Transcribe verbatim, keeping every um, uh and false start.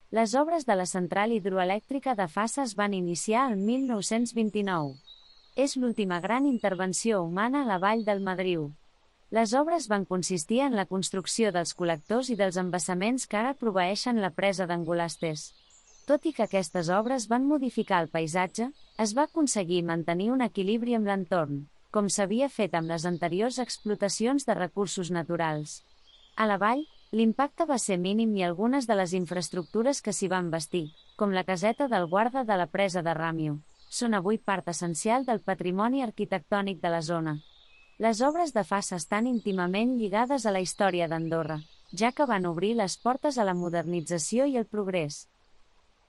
Les obres de la central hidroelèctrica de Fassa es van iniciar el mil nou-cents vint-i-nou. És l'última gran intervenció humana a la vall del Madriu. Les obres van consistir en la construcció dels col·lectors i dels embassaments que ara proveeixen la presa d'Angolastes. Tot i que aquestes obres van modificar el paisatge, es va aconseguir mantenir un equilibri amb l'entorn, com s'havia fet amb les anteriors explotacions de recursos naturals. A la vall, l'impacte va ser mínim i algunes de les infraestructures que s'hi van bastir, com la caseta del guarda de la presa de Ràmio, són avui part essencial del patrimoni arquitectònic de la zona. Les obres de Fassa estan íntimament lligades a la història d'Andorra, ja que van obrir les portes a la modernització i el progrés.